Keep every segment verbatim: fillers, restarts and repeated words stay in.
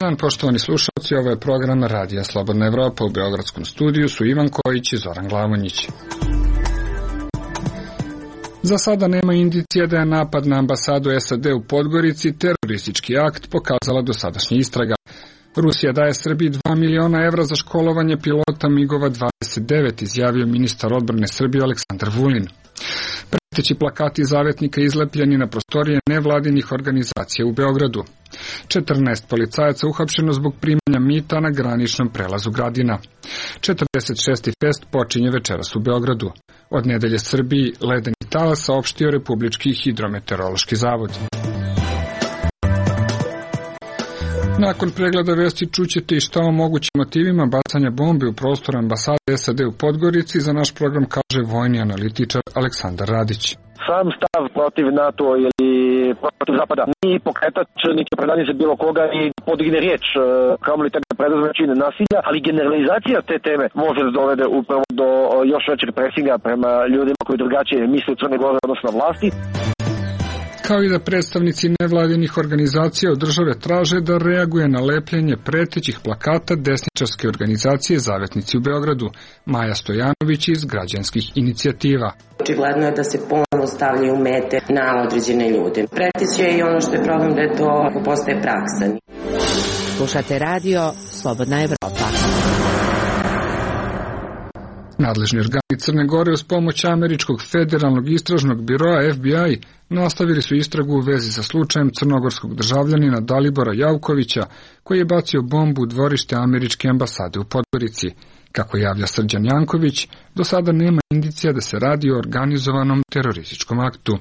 Dan, poštovani slušalci, ovo je program Radija Slobodna Evropa. U beogradskom studiju su Ivan Kojić i Zoran Glavonjić. Za sada nema indicija da je napad na ambasadu S A D u Podgorici teroristički akt, pokazala dosadašnja istraga. Rusija daje Srbiji dva miliona evra za školovanje pilota migova dvadeset devet, izjavio ministar odbrane Srbije Aleksandar Vulin. Preteći plakati zavetnika izlepljeni na prostorije nevladinih organizacija u Beogradu. četrnaest policajaca uhapšeno zbog primanja mita na graničnom prelazu Gradina. četrdeset šesti fest počinje večeras u Beogradu. Od nedelje Srbiji ledeni talas, saopštio Republički hidrometeorološki zavod. Nakon pregleda vesti čućete i šta o mogućim motivima bacanja bombe u prostor ambasade S A D u Podgorici. Za naš program kaže vojni analitičar Aleksandar Radić. Sam stav protiv NATO ili protiv Zapada ni pokretač, niti predanje za bilo koga i podigne riječ, kao li tebe preduzme čine nasilja, ali generalizacija te teme može da dovede upravo do još većeg presinga prema ljudima koji drugačije misle u Crne Gore odnosno vlasti. Kao i da predstavnici nevladinih organizacija od države traže da reaguje na lepljenje pretećih plakata desničarske organizacije Zavetnici u Beogradu. Maja Stojanović iz Građanskih inicijativa. Očigledno je da se ponovno stavljaju mete na određene ljude. Preteć je i ono što je problem da je to postaje praksa. Slušate radio Slobodna Evropa. Nadležni organi Crne Gore uz pomoć Američkog federalnog istražnog biroa F B I nastavili su istragu u vezi sa slučajem crnogorskog državljanina Dalibora Javkovića, koji je bacio bombu u dvorište američke ambasade u Podgorici. Kako javlja Srđan Janković, do sada nema indicija da se radi o organizovanom terorističkom aktu.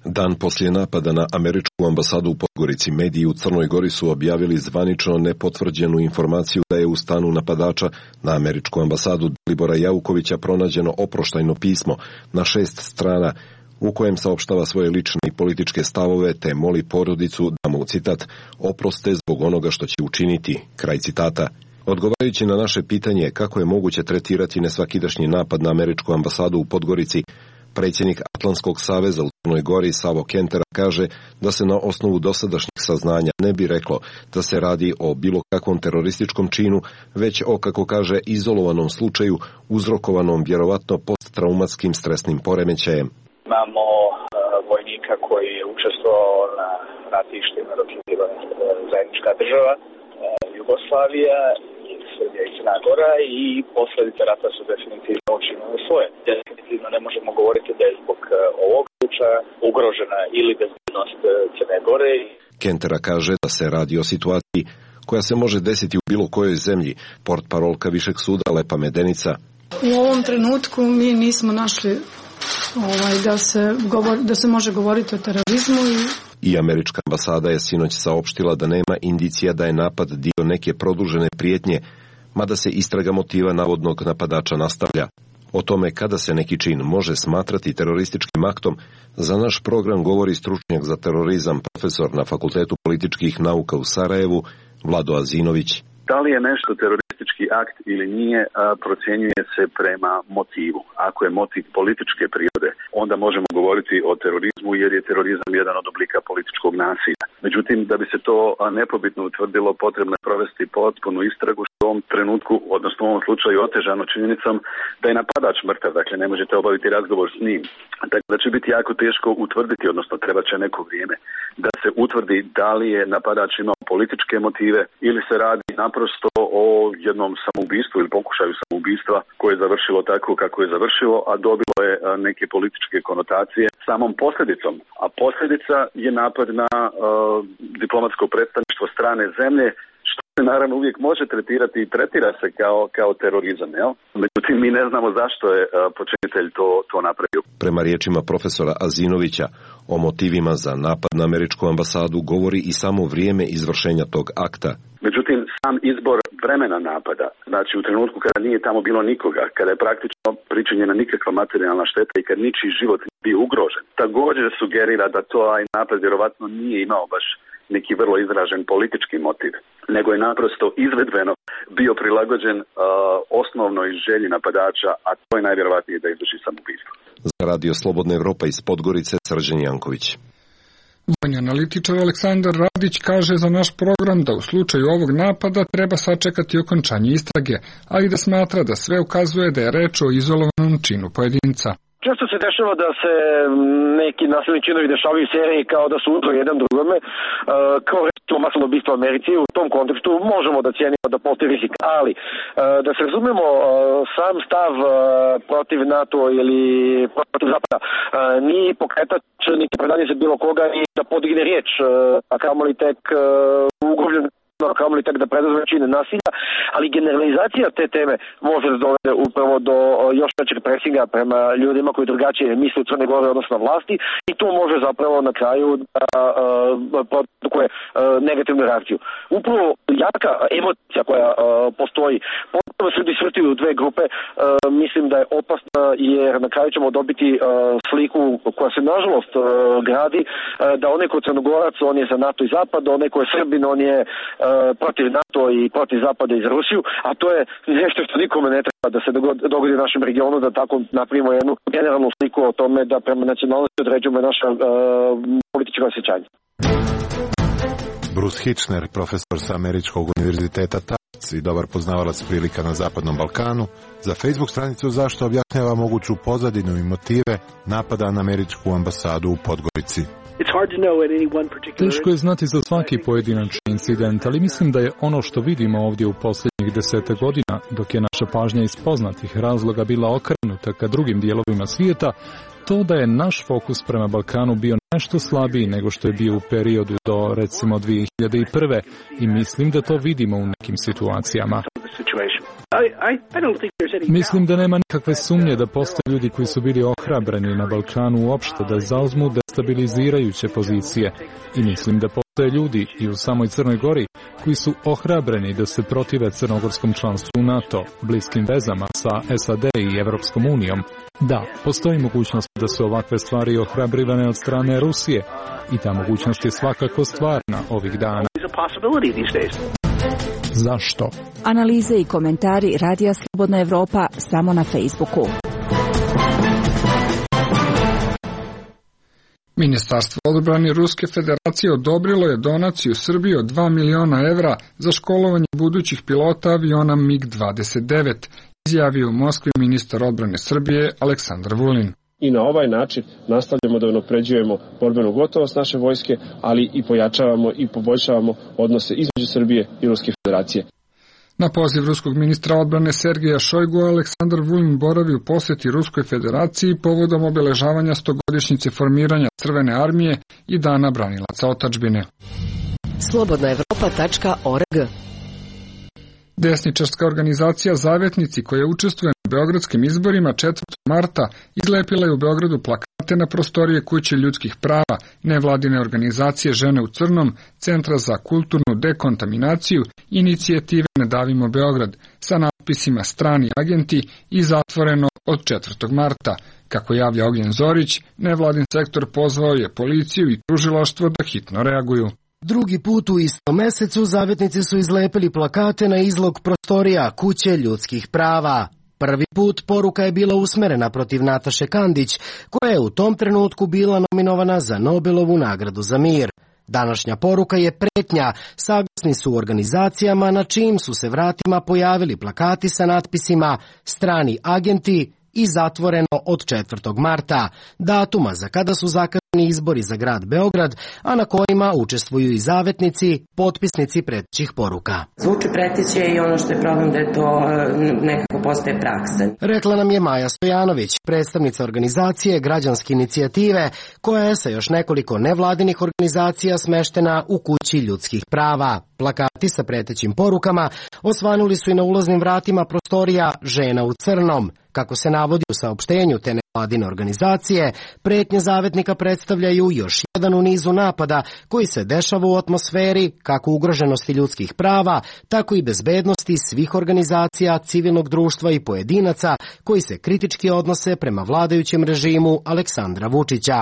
Dan poslije napada na američku ambasadu u Podgorici, mediji u Crnoj Gori su objavili zvanično nepotvrđenu informaciju da je u stanu napadača na američku ambasadu Dalibora Javkovića pronađeno oproštajno pismo na šest strana u kojem saopštava svoje lične i političke stavove te moli porodicu da mu, citat, oproste zbog onoga što će učiniti, kraj citata. Odgovarajući na naše pitanje kako je moguće tretirati nesvakidašnji napad na američku ambasadu u Podgorici, predsjednik Atlantskog saveza u Crnoj Gori Savo Kentera kaže da se na osnovu dosadašnjih saznanja ne bi reklo da se radi o bilo kakvom terorističkom činu, već o, kako kaže, izolovanom slučaju uzrokovanom vjerovatno posttraumatskim stresnim poremećajem. Imamo uh, vojnika koji je učestvovao na ratištima dok je bila zajednička država, uh, Jugoslavija, Srbija i Crna Gora, i posljedice rata su definitivno učinile svoje. Definitivno ne možemo govoriti da je zbog ovog slučaja ugrožena ili bezbednost Crne Gore. Kentera kaže da se radi o situaciji koja se može desiti u bilo kojoj zemlji. Portparolka Višeg suda Lepa Medenica. U ovom trenutku mi nismo našli ovaj, da, se govor, da se može govoriti o terorizmu. I... I američka ambasada je sinoć saopštila da nema indicija da je napad dio neke produžene prijetnje, mada se istraga motiva navodnog napadača nastavlja. O tome kada se neki čin može smatrati terorističkim aktom, za naš program govori stručnjak za terorizam, profesor na Fakultetu političkih nauka u Sarajevu, Vlado Azinović. Da li je nešto teroristički akt ili nije, procjenjuje se prema motivu. Ako je motiv političke prirode, onda možemo govoriti o terorizmu jer je terorizam jedan od oblika političkog nasilja. Međutim, da bi se to nepobitno utvrdilo, potrebno je provesti potpunu istragu, što u ovom trenutku, odnosno u ovom slučaju otežano činjenicom da je napadač mrtav, dakle ne možete obaviti razgovor s njim. Dakle, da će biti jako teško utvrditi, odnosno treba će neko vrijeme da se utvrdi da li je napadač imao političke motive ili se radi naprosto o jednom samoubistvu ili pokušaju samoubistva koje je završilo tako kako je završilo, a dobilo je neke političke konotacije samom posljedicom. A posljedica je napad na uh, diplomatsko predstavništvo strane zemlje, što se naravno uvijek može tretirati i tretira se kao, kao terorizam. Jel? Međutim, mi ne znamo zašto je uh, počinitelj to, to napravio. Prema riječima profesora Azinovića, o motivima za napad na američku ambasadu govori i samo vrijeme izvršenja tog akta. Međutim, sam izbor vremena napada, znači u trenutku kada nije tamo bilo nikoga, kada je praktično pričinjena nikakva materijalna šteta i kad ničiji život nije bio ugrožen, također sugerira da to aj napad vjerovatno nije imao baš neki vrlo izražen politički motiv, nego je naprosto izvedbeno bio prilagođen uh, osnovnoj želji napadača, a to je najvjerovatnije da izvrši samoubistvo. Za Radio Slobodna Evropa iz Podgorice, Srđan Janković. Vojni analitičar Aleksandar Radić kaže za naš program da u slučaju ovog napada treba sačekati okončanje istrage, ali da smatra da sve ukazuje da je reč o izolovanom činu pojedinca. Često se dešava da se neki nasilni činovi dešavaju u seriji kao da su uzor jedan drugome, kao recimo masovno ubistvo u Americi. U tom kontekstu možemo da cijenimo da postoji rizik, ali da se razumemo, sam stav protiv NATO ili protiv Zapada nije pokretač niti predanje za bilo koga i da podigne riječ, a kamoli tek ugrožen, kamoli tek da preduzme čine nasilja, ali generalizacija te teme može da dovede upravo do još većeg presinga prema ljudima koji drugačije misle u Crnoj Gori odnosno vlasti i to može zapravo na kraju da produkuje negativnu reakciju. Upravo jaka emocija koja postoji, potpuno se disvrti u dve grupe, mislim da je opasna jer na kraju ćemo dobiti sliku koja se nažalost gradi, da onaj ko je Crnogorac, on je za NATO i Zapad, onaj ko je Srbin, on je protiv NATO i protiv Zapada i za Rusiju, a to je nešto što nikome ne treba da se dogodi u našem regionu, da tako napravimo jednu generalnu sliku o tome da prema nacionalnosti određujemo naša uh, politička osjećanja. Bruce Hitchner, profesor sa Američkog univerziteta Tufts i dobar poznavalac prilika na Zapadnom Balkanu, za Facebook stranicu Zašto objašnjava moguću pozadinu i motive napada na američku ambasadu u Podgorici. Teško je znati za svaki pojedinačni incident, ali mislim da je ono što vidimo ovdje u posljednjih desete godina, dok je naša pažnja iz poznatih razloga bila okrenuta ka drugim dijelovima svijeta, to da je naš fokus prema Balkanu bio nešto slabiji nego što je bio u periodu do recimo dvije hiljade prve i mislim da to vidimo u nekim situacijama. Mislim da nema nikakve sumnje da postoje ljudi koji su bili ohrabreni na Balkanu uopšte da zauzmu destabilizirajuće pozicije i mislim da postoje ljudi i u samoj Crnoj Gori koji su ohrabreni da se protive crnogorskom članstvu u NATO, bliskim vezama sa S A D i Evropskom unijom. Da, postoji mogućnost da su ovakve stvari ohrabrivane od strane Rusije i ta mogućnost je svakako stvarna ovih dana. Zašto? Analize i komentari Radija Slobodna Evropa samo na Facebooku. Ministarstvo odbrane Ruske federacije odobrilo je donaciju Srbiji od dva miliona evra za školovanje budućih pilota aviona MiG dvadeset devet, izjavio u Moskvi ministar odbrane Srbije Aleksandar Vulin. I na ovaj način nastavljamo da unapređujemo borbenu gotovost naše vojske, ali i pojačavamo i poboljšavamo odnose između Srbije i Ruske federacije. Na poziv ruskog ministra odbrane Sergeja Šojgu, Aleksandar Vulin boravi u posjeti Ruskoj federaciji povodom obeležavanja stogodišnjice formiranja Crvene armije i Dana branilaca otadžbine. slobodna evropa tačka org. Desničarska organizacija Zavetnici, koja učestvuje na beogradskim izborima četvrtog marta, izlepila je u Beogradu plakate na prostorije Kuće ljudskih prava, nevladine organizacije Žene u crnom, Centra za kulturnu dekontaminaciju, inicijative Ne davimo Beograd, sa natpisima Strani agenti i Zatvoreno od četvrtog marta. Kako javlja Ognjen Zorić, nevladin sektor pozvao je policiju i tužilaštvo da hitno reaguju. Drugi put u istom mesecu Zavetnici su izlepili plakate na izlog prostorija Kuće ljudskih prava. Prvi put poruka je bila usmerena protiv Nataše Kandić, koja je u tom trenutku bila nominovana za Nobelovu nagradu za mir. Današnja poruka je pretnja, saglasni su organizacijama na čijim su se vratima pojavili plakati sa natpisima Strani agenti i Zatvoreno od četvrtog marta, datuma za kada su zakazani izbori za grad Beograd, a na kojima učestvuju i zavetnici, potpisnici pretećih poruka. Zvuči preteće i ono što je problem da je to nekako postaje praksa. Rekla nam je Maja Stojanović, predstavnica organizacije Građanske inicijative, koja je sa još nekoliko nevladinih organizacija smeštena u Kući ljudskih prava. Plakati sa pretećim porukama osvanuli su i na ulaznim vratima prostorija Žena u crnom. Kako se navodi u saopštenju te nevladine organizacije, pretnje zavetnika predstavljaju još jedan u nizu napada koji se dešava u atmosferi kako ugroženosti ljudskih prava, tako i bezbednosti svih organizacija, civilnog društva i pojedinaca koji se kritički odnose prema vladajućem režimu Aleksandra Vučića.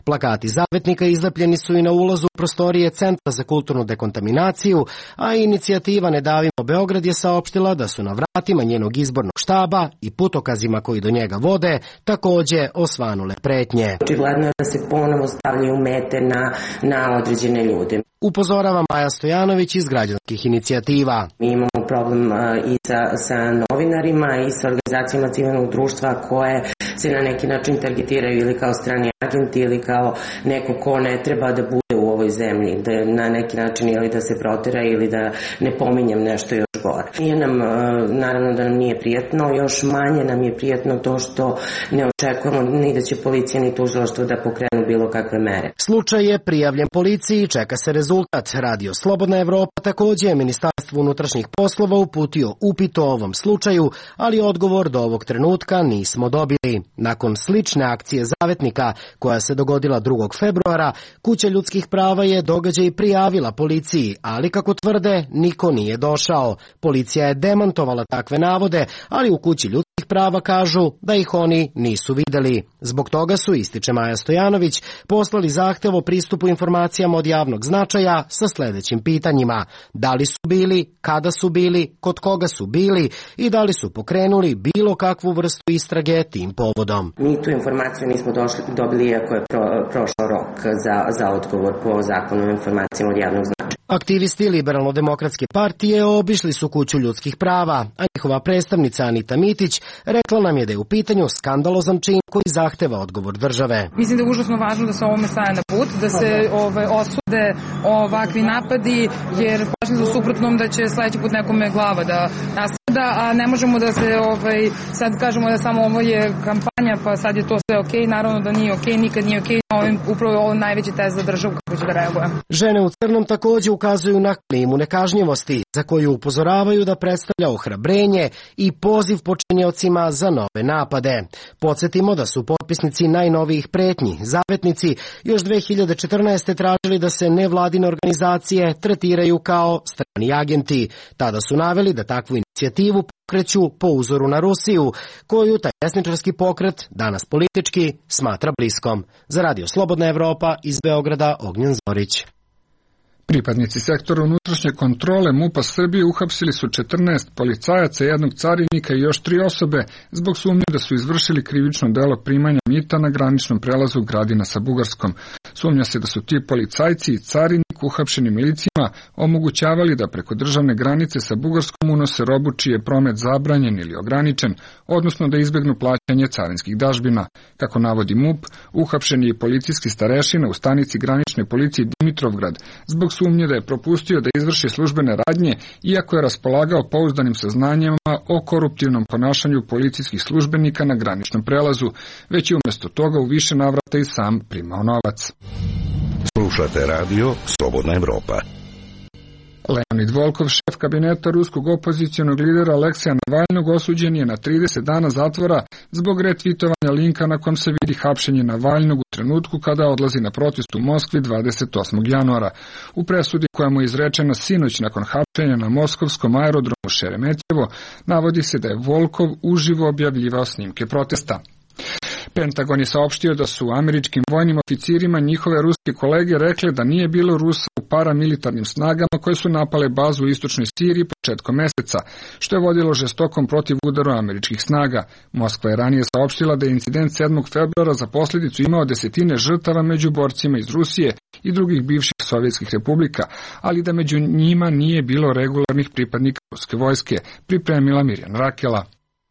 Plakati zavetnika izlepljeni su i na ulazu prostorije Centra za kulturnu dekontaminaciju, a a inicijativa Ne davimo Beograd je saopštila da su na vratima njenog izbornog štaba i putokazima koji do njega vode takođe osvanule pretnje. Očigledno je da se ponovo stavljaju mete na, na određene ljude. Upozorava Maja Stojanović iz građanskih inicijativa. Mi imamo problem i sa, sa novinarima i sa organizacijama civilnog društva koje se na neki način targetiraju ili kao strani agenti ili kao neko ko ne treba da bude u ovoj zemlji, da na neki način ili da se protera ili da ne pominjem nešto još gore. Nije nam, naravno da nam nije prijatno, još manje nam je prijatno to što ne očekujemo ni da će policija ni tužilaštvo da pokrenu bilo kakve mere. Slučaj je prijavljen policiji i čeka se rezultat. Radio Slobodna Evropa takođe je Ministarstvo unutrašnjih poslova uputio upit o ovom slučaju, ali odgovor do ovog trenutka nismo dobili. Nakon slične akcije Zavetnika, koja se dogodila drugog februara, Kuća ljudskih prava je događaj prijavila policiji, ali kako tvrde, niko nije došao. Policija je demantovala takve navode, ali u Kući ljudskih prava kažu da ih oni nisu videli. Zbog toga su, ističe Maja Stojanović, poslali zahtev o pristupu informacijama od javnog značaja sa sledećim pitanjima. Da li su bili, kada su bili, kod koga su bili i da li su pokrenuli bilo kakvu vrstu istrage tim povodom. Mi tu informaciju nismo došli, dobili iako je pro, prošao rok za, za odgovor po zakonu o informacijama od javnog značaja. Aktivisti Liberalno-demokratske partije obišli su Kuću ljudskih prava, a njihova predstavnica Anita Mitić rekla nam je da je u pitanju skandalozan čin koji zahteva odgovor države. Mislim da je užasno važno da se ovome staje na put, da se ove, osude ovakvi napadi, jer plašim se suprotnom da će sledeći put nekome glava da nastrada, a ne možemo da se ovaj, sad kažemo da samo ovo je kampanja, pa sad je to sve okej, naravno da nije okej, nikad nije okej, ovim, upravo je ovo najveći test za državu kako će da reaguje. Žene u crnom takođe ukazuju na klimu nekažnjivosti, za koju upozoravaju da predstavlja ohrabrenje i poziv počiniocima za nove napade. Podsjetimo da su potpisnici najnovijih pretnji, Zavetnici, još dve hiljade četrnaeste. tražili da se nevladine organizacije tretiraju kao strani agenti. Tada su naveli da takvu inicijativu pokreću po uzoru na Rusiju, koju taj desničarski pokret, danas politički, smatra bliskom. Za Radio Slobodna Evropa iz Beograda, Ognjen Zorić. Pripadnici sektora unutrašnje kontrole MUP-a Srbije uhapsili su četrnaest policajaca, jednog carinika i još tri osobe zbog sumnje da su izvršili krivično delo primanja mita na graničnom prelazu Gradina sa Bugarskom. Sumnja se da su ti policajci i carinik uhapšeni milicima omogućavali da preko državne granice sa Bugarskom unose robu čiji je promet zabranjen ili ograničen, odnosno da izbegnu plaćanje carinskih dažbina. Kako navodi MUP, uhapšeni je policijski starešina u stanici granične policije Dimitrovgrad zbog sumnje da je propustio da izvrši službene radnje, iako je raspolagao pouzdanim saznanjima o koruptivnom ponašanju policijskih službenika na graničnom prelazu, već je umjesto toga u više navrata i sam primao novac. Slušate radio Slobodna Evropa. Leonid Volkov, šef kabineta ruskog opozicionog lidera Aleksija Navalnog, osuđen je na trideset dana zatvora zbog retvitovanja linka na kom se vidi hapšenje Navalnog u trenutku kada odlazi na protest u Moskvi dvadeset osmog januara. U presudi koja mu je izrečena sinoć nakon hapšenja na moskovskom aerodromu Šeremetjevo, navodi se da je Volkov uživo objavljivao snimke protesta. Pentagon je saopštio da su američkim vojnim oficirima njihove ruske kolege rekli da nije bilo Rusa u paramilitarnim snagama koje su napale bazu u istočnoj Siriji početkom meseca, što je vodilo žestokom protiv udaru američkih snaga. Moskva je ranije saopštila da je incident sedmog februara za posljedicu imao desetine žrtava među borcima iz Rusije i drugih bivših sovjetskih republika, ali da među njima nije bilo regularnih pripadnika ruske vojske, pripremila Mirjana Rakela.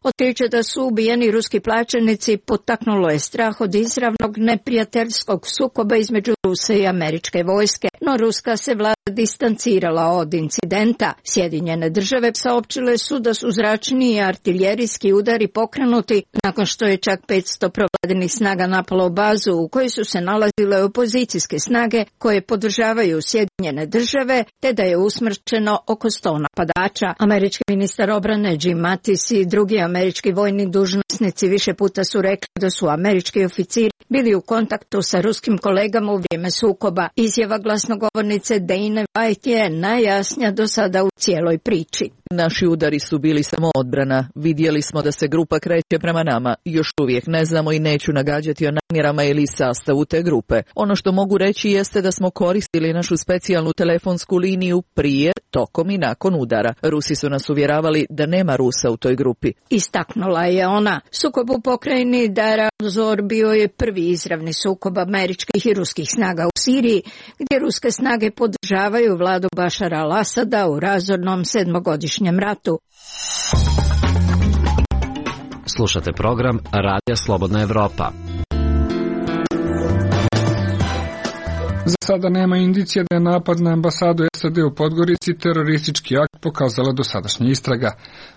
Otkriće da su ubijeni ruski plaćenici potaknulo je strah od izravnog neprijateljskog sukoba između Rusa i američke vojske, no ruska se vlada distancirala od incidenta. Sjedinjene države saopćile su da su zračni i artiljerijski udari pokrenuti nakon što je čak petsto provladinih snaga napalo bazu u kojoj su se nalazile opozicijske snage koje podržavaju Sjedinjene države, te da je usmrćeno oko sto napadača. Američki ministar obrane Jim Mattis i drugi američki vojni dužnosnici više puta su rekli da su američki oficiri bili u kontaktu sa ruskim kolegama u vrijeme sukoba. Izjava glasnogovornice Dane White je najjasnija do sada u cijeloj priči. Naši udari su bili samo odbrana. Vidjeli smo da se grupa kreće prema nama. Još uvijek ne znamo i neću nagađati o namjerama ili sastavu te grupe. Ono što mogu reći jeste da smo koristili našu specijalnu telefonsku liniju prije, tokom i nakon udara. Rusi su nas uvjeravali da nema Rusa u toj grupi. Istaknula je ona. Sukob u pokrajini Deir el-Zor bio je prvi izravni sukob američkih i ruskih snaga u Siriji, gdje ruske snage podržavaju vladu Bašara al-Asada u razornom sedmogodišnjem ratu. Slušate program Radija Slobodna Evropa. Za sada nema indicija da je napad na ambasadu S A D u Podgorici teroristički akt, pokazala dosadašnja istraga.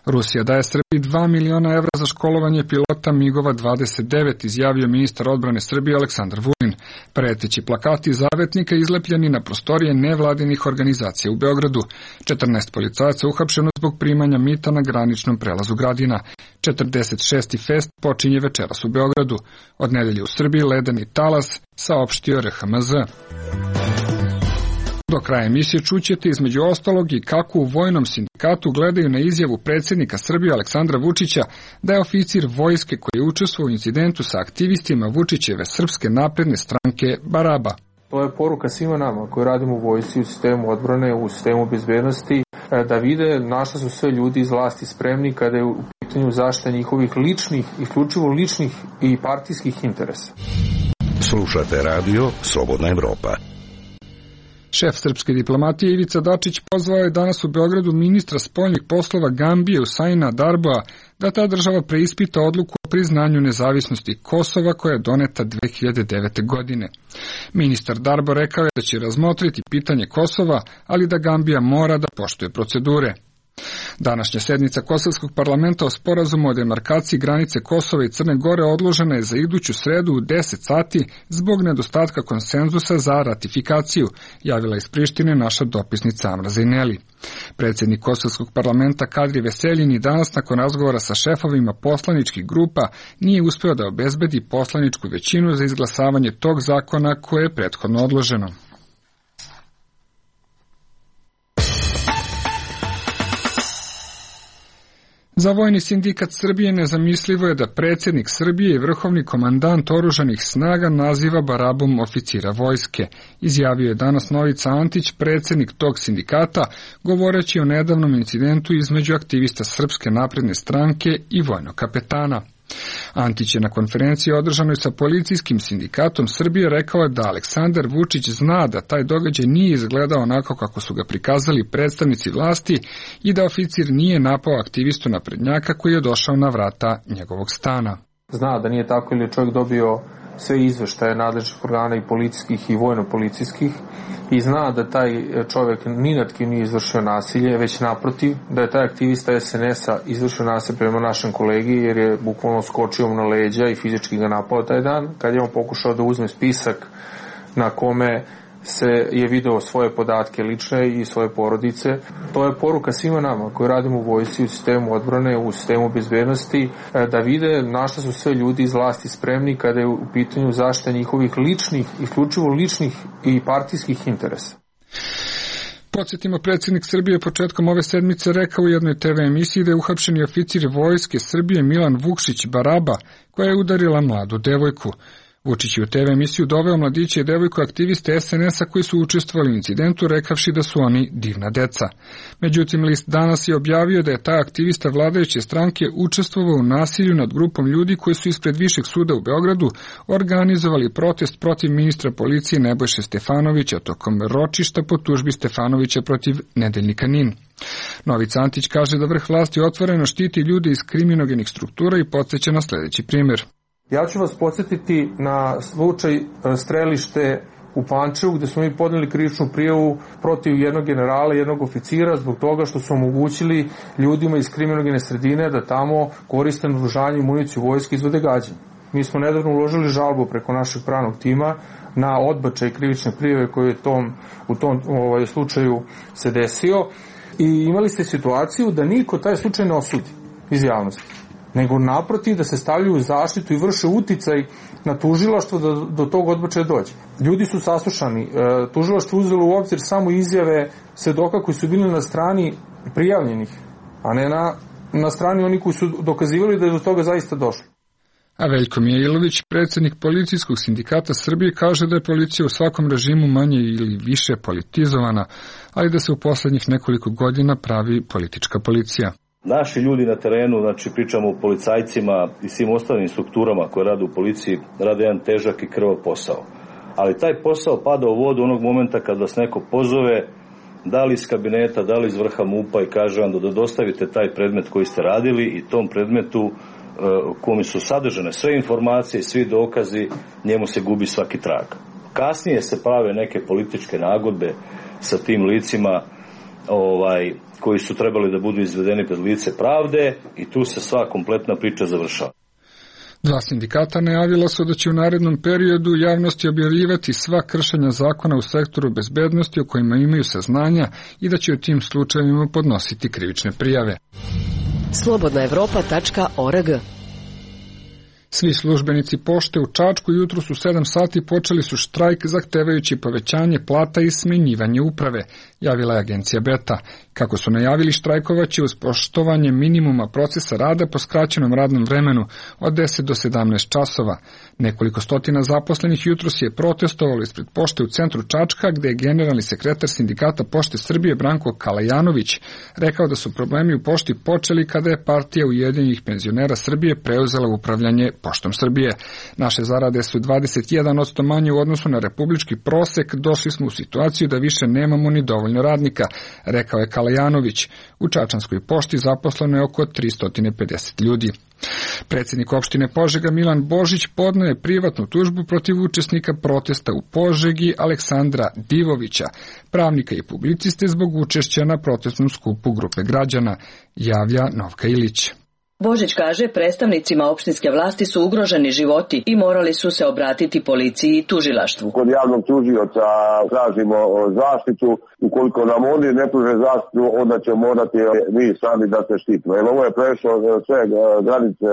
Rusija daje Srbiji dva miliona evra za školovanje pilota migova dvadeset devet, izjavio ministar odbrane Srbije Aleksandar Vulin. Preteći plakati zavetnika izlepljeni na prostorije nevladinih organizacija u Beogradu. četrnaest policajaca uhapšeno zbog primanja mita na graničnom prelazu Gradina. četrdeset šesti fest počinje večeras u Beogradu. Od nedelje u Srbiji ledeni talas, saopštio R H M Z. Do kraja emisije čućete između ostalog i kako u vojnom sindikatu gledaju na izjavu predsjednika Srbije Aleksandra Vučića da je oficir vojske koji je učestvovao u incidentu sa aktivistima Vučićeve Srpske napredne stranke Baraba. To je poruka svima nama koji radimo u vojsci, u sistemu odbrane, u sistemu bezbednosti, da vide na šta su sve ljudi iz vlasti spremni kada je u pitanju zaštita njihovih ličnih, isključivo ličnih i partijskih interesa. Slušate radio Slobodna Evropa. Šef srpske diplomatije Ivica Dačić pozvao je danas u Beogradu ministra spoljnih poslova Gambije Usaina Darboa da ta država preispita odluku o priznanju nezavisnosti Kosova koja je doneta dve hiljade devete. godine. Ministar Darbo rekao je da će razmotriti pitanje Kosova, ali da Gambija mora da poštuje procedure. Današnja sednica Kosovskog parlamenta o sporazumu o demarkaciji granice Kosova i Crne Gore odložena je za iduću sredu u deset sati zbog nedostatka konsenzusa za ratifikaciju, javila iz Prištine naša dopisnica Amra Zejneli. Predsjednik Kosovskog parlamenta Kadri Veseljin danas nakon razgovora sa šefovima poslaničkih grupa nije uspeo da obezbedi poslaničku većinu za izglasavanje tog zakona koje je prethodno odloženo. Za Vojni sindikat Srbije nezamislivo je da predsjednik Srbije i vrhovni komandant oružanih snaga naziva Barabom oficira vojske, izjavio je danas Novica Antić, predsjednik tog sindikata, govoreći o nedavnom incidentu između aktivista Srpske napredne stranke i vojnog kapetana. Antić je na konferenciji održanoj sa policijskim sindikatom Srbije rekao da Aleksandar Vučić zna da taj događaj nije izgledao onako kako su ga prikazali predstavnici vlasti i da oficir nije napao aktivistu naprednjaka koji je došao na vrata njegovog stana. Zna da nije tako ili je čovjek dobio sve izveštaje nadležnih organa i policijskih i vojno-policijskih i zna da taj čovjek ni nad kim nije izvršio nasilje, već naprotiv, da je taj aktivista S N S-a izvršio nasilje prema našem kolegi jer je bukvalno skočio mu na leđa i fizički ga napao taj dan, kad je on pokušao da uzme spisak na kome se je video svoje podatke lične i svoje porodice. To je poruka svima nama koji radimo u vojsci, u sistemu odbrane, u sistemu bezbednosti, da vide na šta su sve ljudi iz vlasti spremni kada je u pitanju zaštita njihovih ličnih, isključivo ličnih i partijskih interesa. Podsjetimo, predsjednik Srbije početkom ove sedmice rekao u jednoj te ve emisiji da je uhapšeni oficir vojske Srbije Milan Vukšić Baraba, koja je udarila mladu devojku. Vučić je u te ve emisiju doveo mladiće i devojku aktiviste S N S-a koji su učestvovali u incidentu, rekavši da su oni divna deca. Međutim, list Danas je objavio da je taj aktivista vladajuće stranke učestvovao u nasilju nad grupom ljudi koji su ispred Višeg suda u Beogradu organizovali protest protiv ministra policije Nebojše Stefanovića tokom ročišta po tužbi Stefanovića protiv nedeljnika Nin. Novica Antić kaže da vrh vlasti otvoreno štiti ljude iz kriminogenih struktura i podsjeća na sljedeći primjer. Ja ću vas podsjetiti na slučaj strelište u Pančevu gdje smo mi podneli krivičnu prijavu protiv jednog generala, jednog oficira zbog toga što su omogućili ljudima iz kriminogene sredine da tamo koriste naoružanje i municiju vojske i izvode gađenje. Mi smo nedavno uložili žalbu preko našeg pravnog tima na odbačaj krivične prijave koji je tom, u tom ovaj, slučaju se desio i imali ste situaciju da niko taj slučaj ne osudi iz javnosti, nego naprotiv da se stavljaju u zaštitu i vrše uticaj na tužilaštvo da do tog odbačaja dođe. Ljudi su saslušani, tužilaštvo uzelo u obzir samo izjave svedoka koji su bili na strani prijavljenih a ne na, na strani oni koji su dokazivali da je do toga zaista došlo. A Veljko Mijailović, predsjednik Policijskog sindikata Srbije, kaže da je policija u svakom režimu manje ili više politizovana, ali da se u posljednjih nekoliko godina pravi politička policija. Naši ljudi na terenu, znači pričamo o policajcima i svim ostalim strukturama koje rade u policiji, rade jedan težak i krvav posao. Ali taj posao pada u vodu onog momenta kad vas neko pozove, da li iz kabineta, da li iz vrha MUP-a i kaže vam da dostavite taj predmet koji ste radili i tom predmetu u kome su sadržane sve informacije i svi dokazi, njemu se gubi svaki trag. Kasnije se prave neke političke nagodbe sa tim licima ovaj, koji su trebali da budu izvedeni pred lice pravde i tu se sva kompletna priča završava. Dva sindikata najavila su da će u narednom periodu javnosti objavljivati sva kršenja zakona u sektoru bezbednosti o kojima imaju saznanja i da će u tim slučajevima podnositi krivične prijave. slobodna evropa tačka org. Svi službenici pošte u Čačku jutros u sedam sati počeli su štrajk zahtevajući povećanje plata i smenjivanje uprave, javila je agencija Beta. Kako su najavili, štrajkovaće uz poštovanje minimuma procesa rada po skraćenom radnom vremenu od deset do sedamnaest časova. Nekoliko stotina zaposlenih jutros je protestovalo ispred pošte u centru Čačka, gde je generalni sekretar sindikata Pošte Srbije Branko Kalajanović rekao da su problemi u pošti počeli kada je partija Ujedinjenih penzionera Srbije preuzela upravljanje Poštom Srbije. Naše zarade su dvadeset jedan posto manje u odnosu na republički prosek, došli smo u situaciju da više nemamo ni dovoljno radnika, rekao je Kalajanović. U Čačanskoj pošti zaposleno je oko tristo pedeset ljudi. Predsjednik opštine Požega Milan Božić podneo je privatnu tužbu protiv učesnika protesta u Požegi Aleksandra Divovića, pravnika i publiciste zbog učešća na protestnom skupu grupe građana, javlja Novka Ilić. Božić kaže, predstavnicima opštinske vlasti su ugroženi životi i morali su se obratiti policiji i tužilaštvu. Kod javnog tužioca tražimo zaštitu, ukoliko nam oni ne pruže zaštitu, onda će morati mi sami da se štitimo. Jer ovo je prešlo sve granice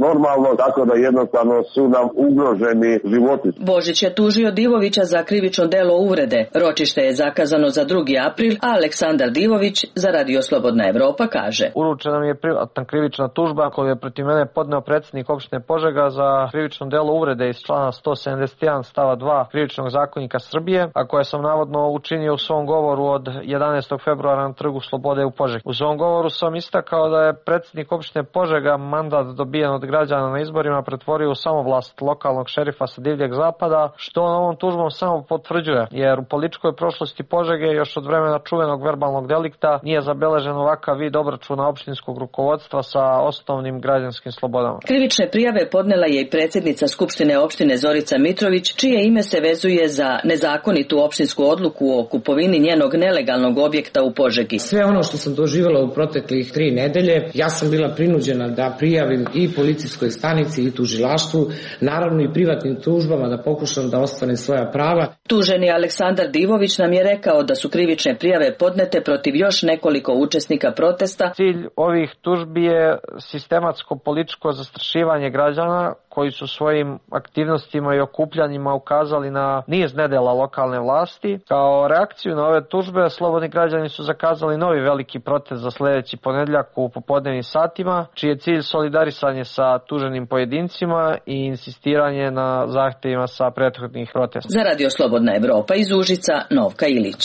normalno, tako da jednostavno su nam ugroženi životi. Božić je tužio Divovića za krivično delo uvrede. Ročište je zakazano za drugi april, a Aleksandar Divović za Radio Slobodna Evropa kaže. Uručena mi je privatna krivična tužba koju je protiv mene podneo predsjednik opštine Požega za krivično delo uvrede iz člana sto sedamdeset jedan stava dva Krivičnog zakonika Srbije, a koje sam navodno učinio u svom govoru od jedanaestog februara na Trgu Slobode u Požegi. U svom govoru sam istakao da je predsjednik opštine Požega mandat dobijen od građana na izborima pretvorio u samovlast lokalnog šerifa sa divljeg zapada, što on ovom tužbom samo potvrđuje, jer u političkoj prošlosti Požege još od vremena čuvenog verbalnog delikta nije zabeležen ovakav vid obračuna opštinskog rukovodstva sa osnovnim građanskim slobodama. Krivične prijave podnela je i predsjednica Skupštine opštine Zorica Mitrović, čije ime se vezuje za nezakonitu opštinsku odluku o kupovini njenog nelegalnog objekta u Požegi. Sve ono što sam doživjela u proteklih tri nedelje, ja sam bila prinuđena da prijavim i policijskoj stanici i tužilaštvu, naravno i privatnim tužbama da pokušam da ostvarim svoja prava. Tuženi Aleksandar Divović nam je rekao da su krivične prijave podnete protiv još nekoliko učesnika protesta. Cilj ovih tužbi je sistematsko političko zastrašivanje građana koji su svojim aktivnostima i okupljanjima ukazali na niz nedela lokalne vlasti. Kao reakciju na ove tužbe, slobodni građani su zakazali novi veliki protest za sledeći ponedjeljak u popodnevnim satima, čiji je cilj solidarisanje sa tuženim pojedincima i insistiranje na zahtevima sa prethodnih protesta. Za Radio Slobodna Evropa iz Užica, Novka Ilić.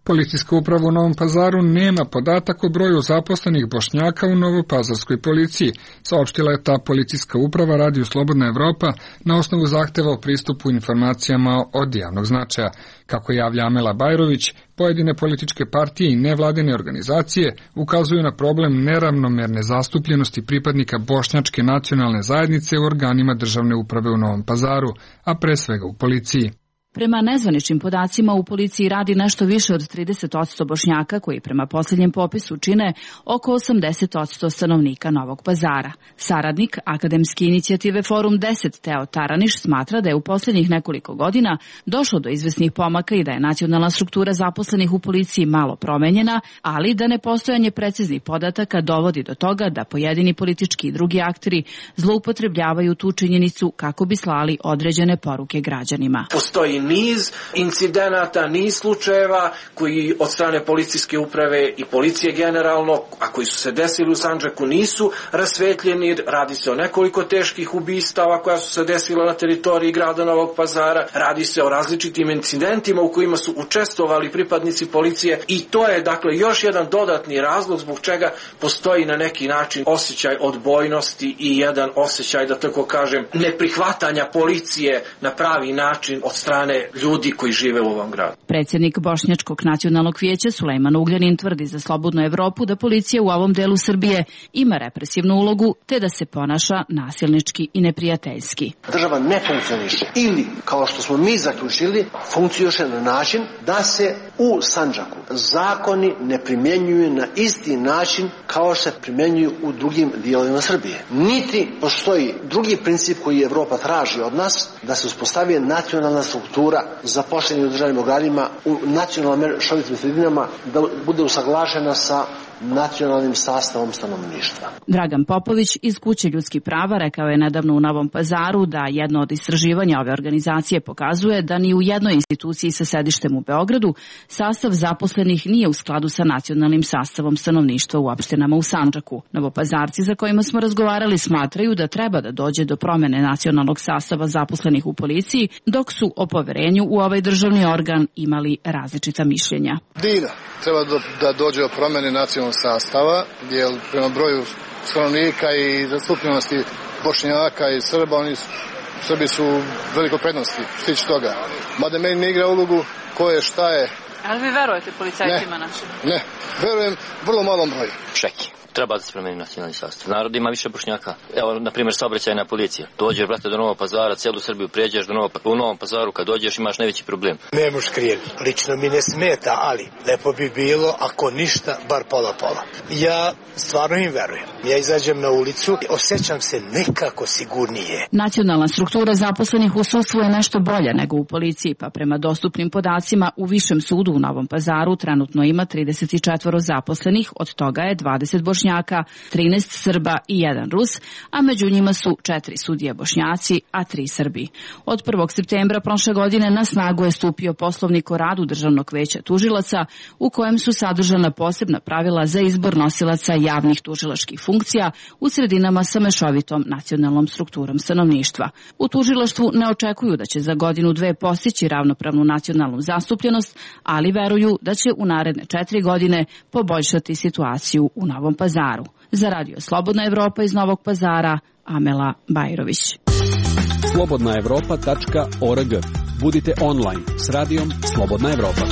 Policijska uprava u Novom Pazaru nema podatak o broju zaposlenih Bošnjaka u novopazarskoj policiji, saopštila je ta policijska uprava Radio Slobodna Evropa na osnovu zahteva o pristupu informacijama od javnog značaja. Kako javlja Amela Bajrović, pojedine političke partije i nevladine organizacije ukazuju na problem neravnomerne zastupljenosti pripadnika bošnjačke nacionalne zajednice u organima državne uprave u Novom Pazaru, a pre svega u policiji. Prema nezvaničnim podacima u policiji radi nešto više od trideset posto Bošnjaka koji prema posljednjem popisu čine oko osamdeset posto stanovnika Novog Pazara. Saradnik akademske inicijative Forum deset Teo Taraniš smatra da je u posljednjih nekoliko godina došlo do izvesnih pomaka i da je nacionalna struktura zaposlenih u policiji malo promenjena, ali da nepostojanje preciznih podataka dovodi do toga da pojedini politički i drugi akteri zloupotrebljavaju tu činjenicu kako bi slali određene poruke građanima. Postoji niz incidenata, niz slučajeva koji od strane policijske uprave i policije generalno, a koji su se desili u Sandžaku, nisu rasvetljeni. Radi se o nekoliko teških ubistava koja su se desila na teritoriji grada Novog Pazara, radi se o različitim incidentima u kojima su učestvovali pripadnici policije i to je dakle još jedan dodatni razlog zbog čega postoji na neki način osjećaj odbojnosti i jedan osjećaj, da tako kažem, neprihvatanja policije na pravi način od strane ljudi koji žive u ovom gradu. Predsjednik Bošnjačkog nacionalnog vijeća Sulejman Ugljanin tvrdi za Slobodnu Evropu da policija u ovom delu Srbije ima represivnu ulogu te da se ponaša nasilnički i neprijateljski. Država ne funkcioniše ili, kao što smo mi zaključili, funkcioniše na način da se u Sandžaku zakoni ne primjenjuju na isti način kao što se primjenjuju u drugim dijelovima Srbije. Niti postoji drugi princip koji Evropa traži od nas, da se uspostavi nacionalna struktura zaposlenih u državnim organima u nacionalno mešovitim sredinama, da bude usaglašena sa nacionalnim sastavom stanovništva. Dragan Popović iz Kuće ljudskih prava rekao je nedavno u Novom Pazaru da jedno od istraživanja ove organizacije pokazuje da ni u jednoj instituciji sa sedištem u Beogradu sastav zaposlenih nije u skladu sa nacionalnim sastavom stanovništva u opštinama u Sandžaku. Novopazarci za kojima smo razgovarali smatraju da treba da dođe do promene nacionalnog sastava zaposlenih u policiji, dok su o poverenju u ovaj državni organ imali različita mišljenja. Dina, treba da dođe do promene nacionalnog sastava, jer prema broju stanovnika i zastupljenosti Bošnjaka i Srba, oni Srbi su veliko prednosti, stići toga. Mada meni ne igra ulogu ko je, šta je. Ali vi verujete policajcima našim? Ne, verujem vrlo malom broju. Čeki. Treba da se promeni nacionalni sastav. Narod ima više Bošnjaka. Evo, na primjer, saobraćajna policija. Dođeš, brate, do Novog Pazara, cijelu Srbiju prijeđeš do Novog, u Novom Pazaru, kad dođeš imaš najveći problem. Ne moš krijen. Lično mi ne smeta, ali lepo bi bilo, ako ništa, bar pola-pola. Ja stvarno im verujem. Ja izađem na ulicu i osjećam se nekako sigurnije. Nacionalna struktura zaposlenih u sudstvu je nešto bolja nego u policiji, pa prema dostupnim podacima u Višem sudu u Novom Pazaru trenutno ima trideset četiri zaposlenih, od toga je dvadeset Bošnjaka, trinaest Srba i jedan Rus, a među njima su četiri sudije Bošnjaci, a tri Srbi. Od prvog septembra prošle godine na snagu je stupio Poslovnik o radu Državnog veća tužilaca, u kojem su sadržana posebna pravila za izbor nosilaca javnih tužilačkih funkcija u sredinama sa mešovitom nacionalnom strukturom stanovništva. U tužilaštvu ne očekuju da će za godinu dve postići ravnopravnu nacionalnu zastupljenost, ali veruju da će u naredne četiri godine poboljšati situaciju u Novom Pazaru. Za Radio Slobodna Evropa iz Novog Pazara, Amela Bajrović. slobodna evropa tačka org. Budite online s radijom Slobodna Evropa.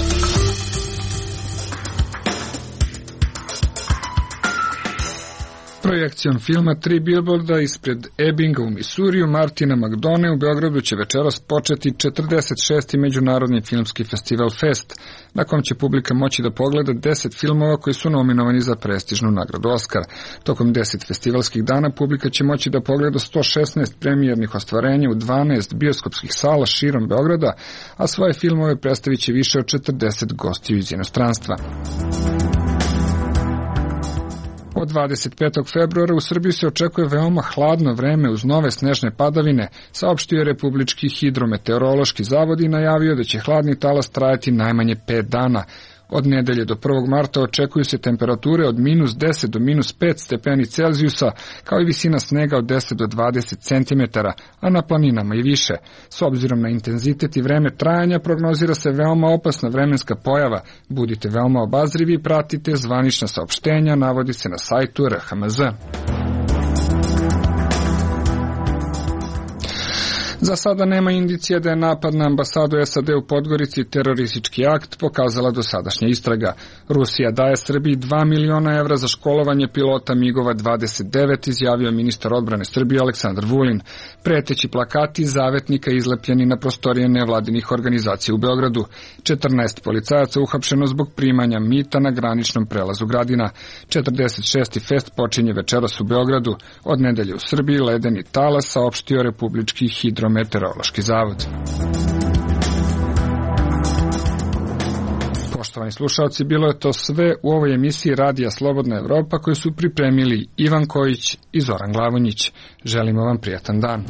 Projekcijom filma Tri bilborda ispred Ebbinga u Misuriju Martina McDonough u Beogradu će večeras početi četrdeset šesti Međunarodni filmski festival Fest, na kom će publika moći da pogleda deset filmova koji su nominovani za prestižnu nagradu Oskar. Tokom deset festivalskih dana publika će moći da pogleda sto šesnaest premijernih ostvarenja u dvanaest bioskopskih sala širom Beograda, a svoje filmove predstavit će više od četrdeset gostiju iz inostranstva. Od dvadeset petog februara u Srbiji se očekuje veoma hladno vreme uz nove snežne padavine, saopštio je Republički hidrometeorološki zavod i najavio da će hladni talas trajati najmanje pet dana. Od nedelje do prvog marta očekuju se temperature od minus deset do minus pet stepeni Celzijusa, kao i visina snega od deset do dvadeset centimetara, a na planinama i više. S obzirom na intenzitet i vreme trajanja prognozira se veoma opasna vremenska pojava. Budite veoma obazrivi i pratite zvanična saopštenja, navodi se na sajtu R H M Z. Za sada nema indicija da je napad na ambasadu S A D u Podgorici teroristički akt, pokazala dosadašnja istraga. Rusija daje Srbiji dva miliona evra za školovanje pilota migova dvadeset devet, izjavio ministar odbrane Srbije Aleksandar Vulin. Preteći plakati zavetnika izlepljeni na prostorije nevladinih organizacija u Beogradu. četrnaest policajaca uhapšeno zbog primanja mita na graničnom prelazu Gradina. četrdeset šesti fest počinje večeras u Beogradu. Od nedelje u Srbiji ledeni talas, saopštio Republički hidrometeorološki zavod. Poštovani slušalci, bilo je to sve u ovoj emisiji Radija Slobodna Evropa koju su pripremili Ivan Kojić i Zoran Glavonjić. Želimo vam prijatan dan.